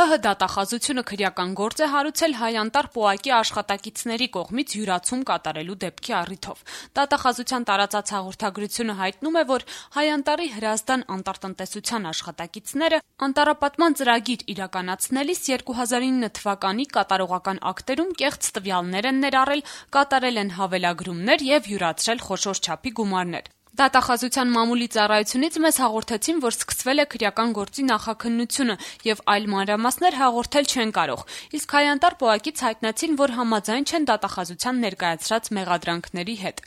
ՀՀ դատախազությունը քրեական գործ է հարուցել հայ-անտառ պոակի աշխատակիցների կողմից յուրացում կատարելու դեպքի առիթով։ Դատախազության տարածած հաղորդագրությունը հայտնում է, որ հայ-անտառի Հրազդան անտառտնտեսության աշխատակիցները անտառապատման ծրագիր իրականացնելիս 2009 թվականի կատարողական ակտերում կեղծ տվյալներ են ներառել, կատարել են հավելագրումներ եւ յուրացրել խոշոր չափի գումարներ։ Դատախազության մամուլի ծառայությունից մեզ հաղորդեցին, որ սկսվել է քրեական գործի նախաքննությունը եւ այլ մանրամասներ հաղորդել չեն կարող, իսկ հայ-անտառ պոակից հայտնեցին, որ համաձայն չեն դատախազության ներկայացրած մեղադրանքների հետ։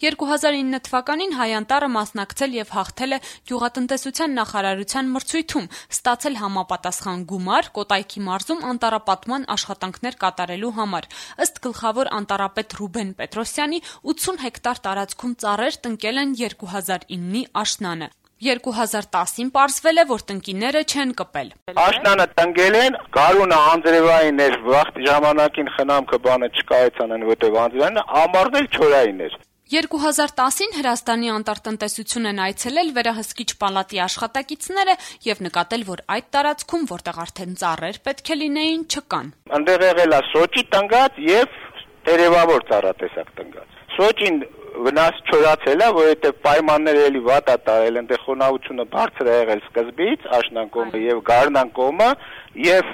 2009 թվականին հայ-անտառը մասնակցել եւ հաղթել է գյուղատնտեսության նախարարության մրցույթում, ստացել համապատասխան գումար Կոտայքի մարզում անտառապատման աշխատանքներ կատարելու համար։ Ըստ գլխավոր անտառապետ Ռուբեն Պետրոսյանի 80 հեկտար տարածքում ծառեր տնկել են 2009-ի աշնանը։ 2010-ին պարզվել է, որ տնկիները չեն կպել։ Աշնանը տնկել են, գարունը անձրևային էր, վաղ ժամանակին խնամքը բանը չկայացան, որտեղ անձրևային ամառն էլ չորային էր։ 2010-ին Հրազդանի անտառտնտեսություն են այցելել վերահսկիչ պալատի աշխատակիցները եւ նկատել, որ այդ տարածքում, որտեղ արդեն ծառեր պետք է լինեին, չկան։ Այնտեղ եղել է սոճի տնկած եւ տերևավոր ծառատեսակ տնկած։ Սոճին վնաս չորացել է, որովհետեւ պայմանները էլի վատ է տարել, այնտեղ խոնավությունը բարձր է եղել սկզբից, աշնան կողմը եւ գարնան կողմը, եւ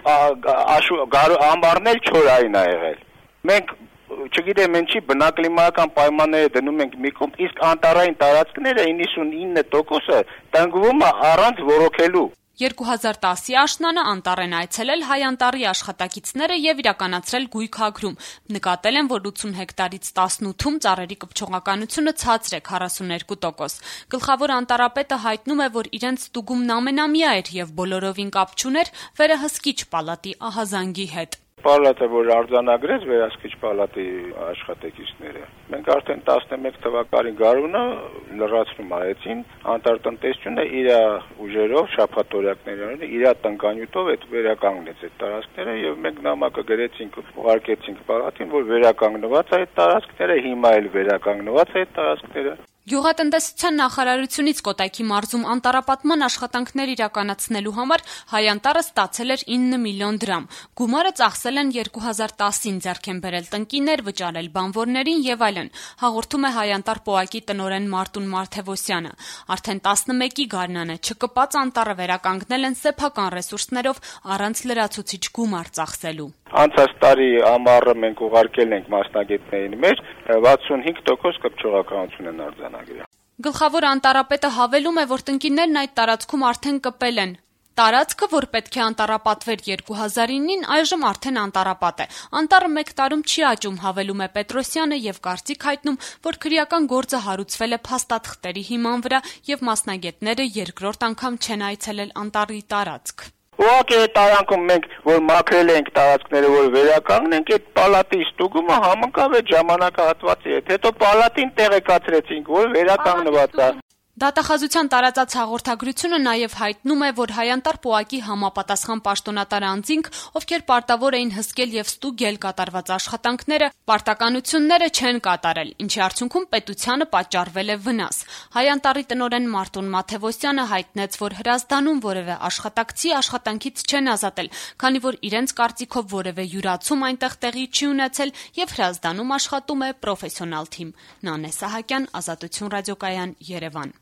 ամառն էլ չորային է եղել։ Մենք չգիտեմ ինչի բնակլիմայական պայմանները դնում ենք մի կողմ, իսկ անտառային տարածքները 99%-ը տնկվում է առանց ոռոգելու։ 2010-ի աշնանը անտառ են այցելել հայ-անտառի աշխատակիցները եւ իրականացրել գույքագրում։ Նկատել են, որ 80 հեկտարից 18-ում ծառերի կպչողականությունը ցածր է 42%։ Գլխավոր անտառապետը հայտնում է, որ իրենց ստուգումն ամենամյա էր եւ բոլորովին կապ չուներ վերահսկիչ պալատի ահազանգի հետ։ Պալատը, որ արձանագրեց վերահսկիչ պալատի աշխատակիցները, մենք արդեն 11 թվականի գարունը լրացնում արեցին, անտառտնտեսությունը իր ուժերով, շաբաթօրյակներով, իր տնկանյութով այդ վերականգնեց այդ տարածքները եւ մենք նամակը գրեցինք, ուղարկեցինք պալատին, որ վերականգնված է այդ տարածքները, հիմա էլ վերականգնված է այդ տարածքները։ Գյուղատնտեսության նախարարությունից Կոտայքի մարզում անտառապատման աշխատանքներ իրականացնելու համար հայ-անտառը ստացել էր 9 միլիոն դրամ։ Գումարը ծախսել են 2010-ին, ձեռք են բերել տնկիներ, վճարել բանվորներին եւ այլն։ Հաղորդում է հայ-անտառ պոակի տնօրեն Մարտուն Մարթևոսյանը։ Արդեն 11-ի գարնանը չկպած անտառը վերականգնել են սեփական ռեսուրսներով առանց լրացուցիչ գումար ծախսելու։ Անցած տարի ամառը մենք ուղարկել ենք մասնագետներին մեր 65% կպչողականություն են արձանագրել։ Գլխավոր անտառապետը հավելում է, որ տնկիներն այդ տարածքում արդեն կպել են։ Տարածքը, որ պետք է անտառապատվեր 2009-ին, այժմ արդեն անտառապատ է։ Անտառը մեկ տարում չի աճում, հավելում է Պետրոսյանը եւ կարծիք հայտնում, որ քրեական գործը հարուցվել է փաստաթղթերի հիման վրա եւ մասնագետները երկրորդ անգամ չեն այցելել անտառի տարածք։ Ուղղակի այդ տարանքում մենք, որ մաքրել ենք տարածքները, որ վերականգնենք, այդ պալատի ստուգումը համընկավ այդ ժամանակահատվածի հետ։ Հետո պալատին տեղեկացրեցինք, որ վերականգնված է։ Դատախազության տարածած հաղորդագրությունը նաև հայտնում է, որ հայ-անտառ պոակի համապատասխան պաշտոնատար անձինք, ովքեր պարտավոր էին հսկել եւ ստուգել կատարված աշխատանքները, պարտականությունները չեն կատարել, ինչի արդյունքում պետությանը պատճառվել է վնաս։ Հայ-անտառի տնօրեն Մարտուն Մաթևոսյանը հայտնեց, որ Հրազդանում որևէ աշխատակցի աշխատանքից չեն ազատել, քանի որ իրենց կարծիքով որևէ յուրացում այնտեղ տեղի չի ունեցել եւ Հրազդանում աշխատում է պրոֆեսիոնալ թիմ։ Նանե Սահակյան, Ազատություն ռադիոկայան, Երևան։